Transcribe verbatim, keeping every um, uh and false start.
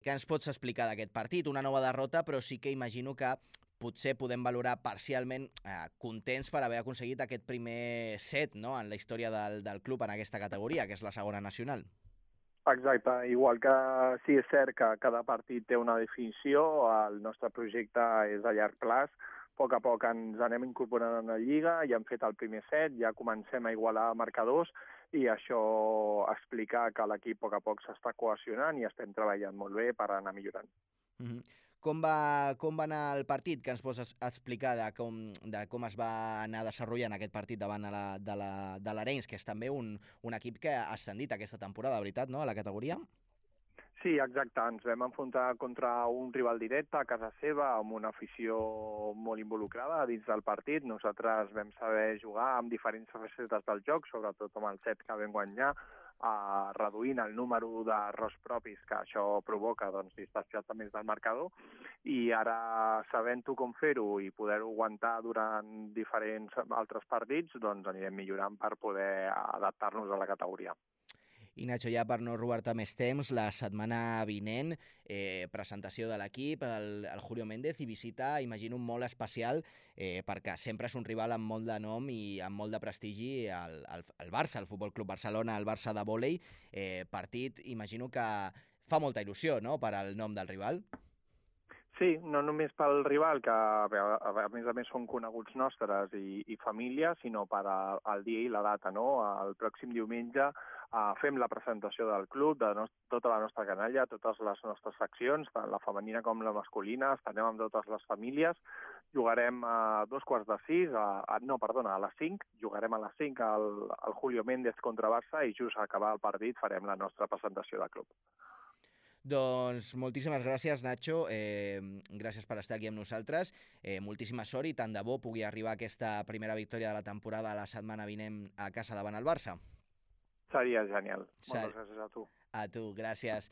Què ens pots explicar d'aquest partit? Una nova derrota, però sí que imagino que potser podem valorar parcialment eh, contents per haver aconseguit aquest primer set, no?, en la història del, del club en aquesta categoria, que és la segona nacional. Exacte, igual que sí és cert que cada partit té una definició, el nostre projecte és a llarg plaç, a poc a poc ens anem incorporant a la Lliga, ja hem fet el primer set, ja comencem a igualar marcadors i això explica que l'equip a poc a poc s'està cohesionant i estem treballant molt bé per anar millorant. Mm -hmm. Com va, com va anar el partit? Què ens pots es- explicar de com, de com es va anar desenvolupant aquest partit davant de la, de la, de l'Arenys, que és també un, un equip que ha ascendit aquesta temporada, veritat, no?, a la categoria? Sí, exacte. Ens vam enfrontar contra un rival directe a casa seva, amb una afició molt involucrada dins del partit. Nosaltres vam saber jugar amb diferents facetes del joc, sobretot amb el set que vam guanyar, eh, reduint el número d'errors propis que això provoca, doncs, distanciar-te més del marcador. I ara, sabent-ho com fer-ho i poder-ho aguantar durant diferents altres partits, doncs anirem millorant per poder adaptar-nos a la categoria. I Nacho, ja per no robar-te més temps, la setmana vinent, eh, presentació de l'equip, el, el Julio Méndez, i visita, imagino, molt especial, eh, perquè sempre és un rival amb molt de nom i amb molt de prestigi, el, el, el Barça, el Futbol Club Barcelona, el Barça de vòlei, eh, partit, imagino que fa molta il·lusió, no?, per al nom del rival. Sí, no només pel rival, que a, a més a més són coneguts nostres i, i família, sinó per a, al dia i la data, no? El pròxim diumenge uh, fem la presentació del club, de no, tota la nostra canalla, totes les nostres seccions, tant la femenina com la masculina, estarem amb totes les famílies, jugarem a dos quarts de sis, a, a, no, perdona, a les cinc, jugarem a les cinc al, al Julio Méndez contra Barça i just a acabar el partit farem la nostra presentació de club. Doncs moltíssimes gràcies, Nacho, eh, gràcies per estar aquí amb nosaltres, eh, moltíssima sort i tant de bo pugui arribar aquesta primera victòria de la temporada la setmana vinent a casa davant el Barça. Seria genial. Ser... Moltes gràcies a tu. A tu, gràcies.